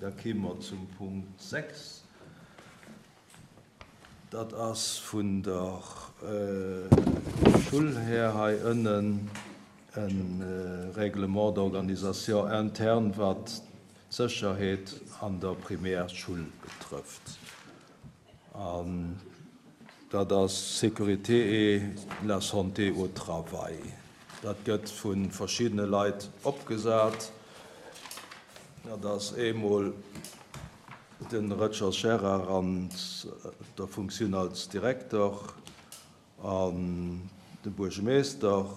Da kéime mer zum Punkt 6. Dat ass vun der Schull här hei ënnen e Règlement d'organisation interne, wat d'Sécherheet an der Primärschull betrëfft. An dat ass Sécurité et la santé au travail. Dat gëtt vu verschiddene Leit opgesat. Dat ass eemol de Rötschers Gérard an der Funktioun als Direkter an de Buergemeester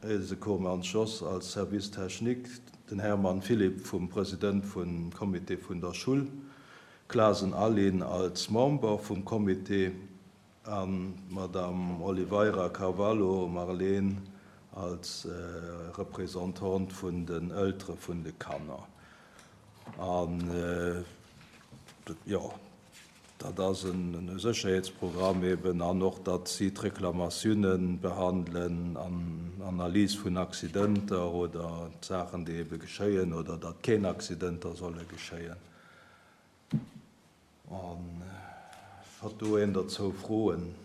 Else Koormans Jos als Service technique, den Hermann Philipp vum President vum Comité vun der Schull, Clasen Aline als Member vum Comité an d'Madame Oliveira Carvalho Marlene als Representante vun den Eltere vun de Kanner. An, jo, dat ass e Sécherheetsprogramm eben an och, datt si d'Reklamatiounen behandelen an Analys vun Accidenter oder Saachen, déi ebe geschéien oder datt keen Accidenter solle geschéien. An hat do een derzou Froen?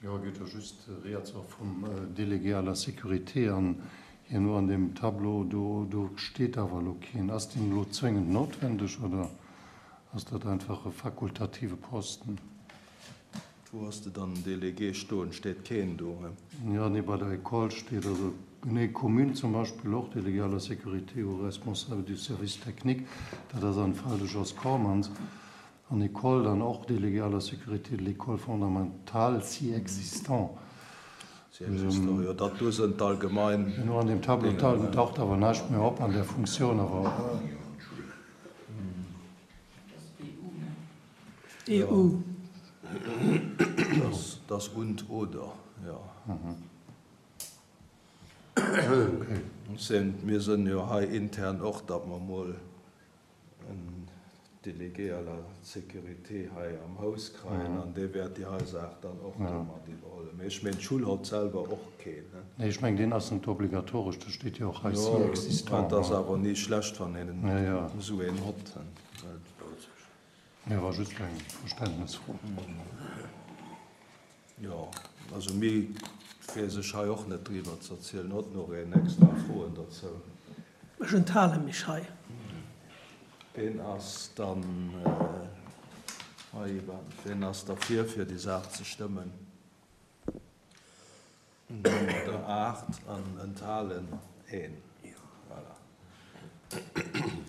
Jo, et geet jo just rieds och vum Délégué à la sécurité an hierno an deem Tableau do, do steet awer elo keen. Ass deen elo zwéngend noutwendeg oder ass dat einfach e fakultative Posten? Wou has de dann den Délégué stoen? Steet keen do, he? Jo, nee, bei der École steet also, nee, Commune zum Beispill och, Délégué à la sécurité ou responsable du service technique, dat ass am Fall de Jos Cormans. An École dann och, Délégué à la sécurité de l'école fondamentale, si existant. Si existant, jo, dat do sënn d'allgemein. Genau, an deem Tableau taucht awer näischt méi op an där Funktioun, awer. EU. Das und oder, jo. Mir sënn jo hei intern och, datt mer emol en Délégué à la sécurité hei am Haus kreien an dee wäert déi hei Saach dann och do mat iwwerhollen. Mee ech meen, d'Schull hott selwer och keen. Nee, ech mengen, deen ass net obligatoresch, do steet jo och hei si existant. Jo, et ass awer ni schlecht, wann een esou een hott. Nee, war just eng Verständnesfro. Jo, also méi weess ech hei och net driwwer ze erzielen. Hott nach een extra Froen derzou? Ech enthale mech hei. Ween ass dann hei, ween ass derfir, fir déi Saach ze stëmmen? Der 8 an enthalen een. Voilà.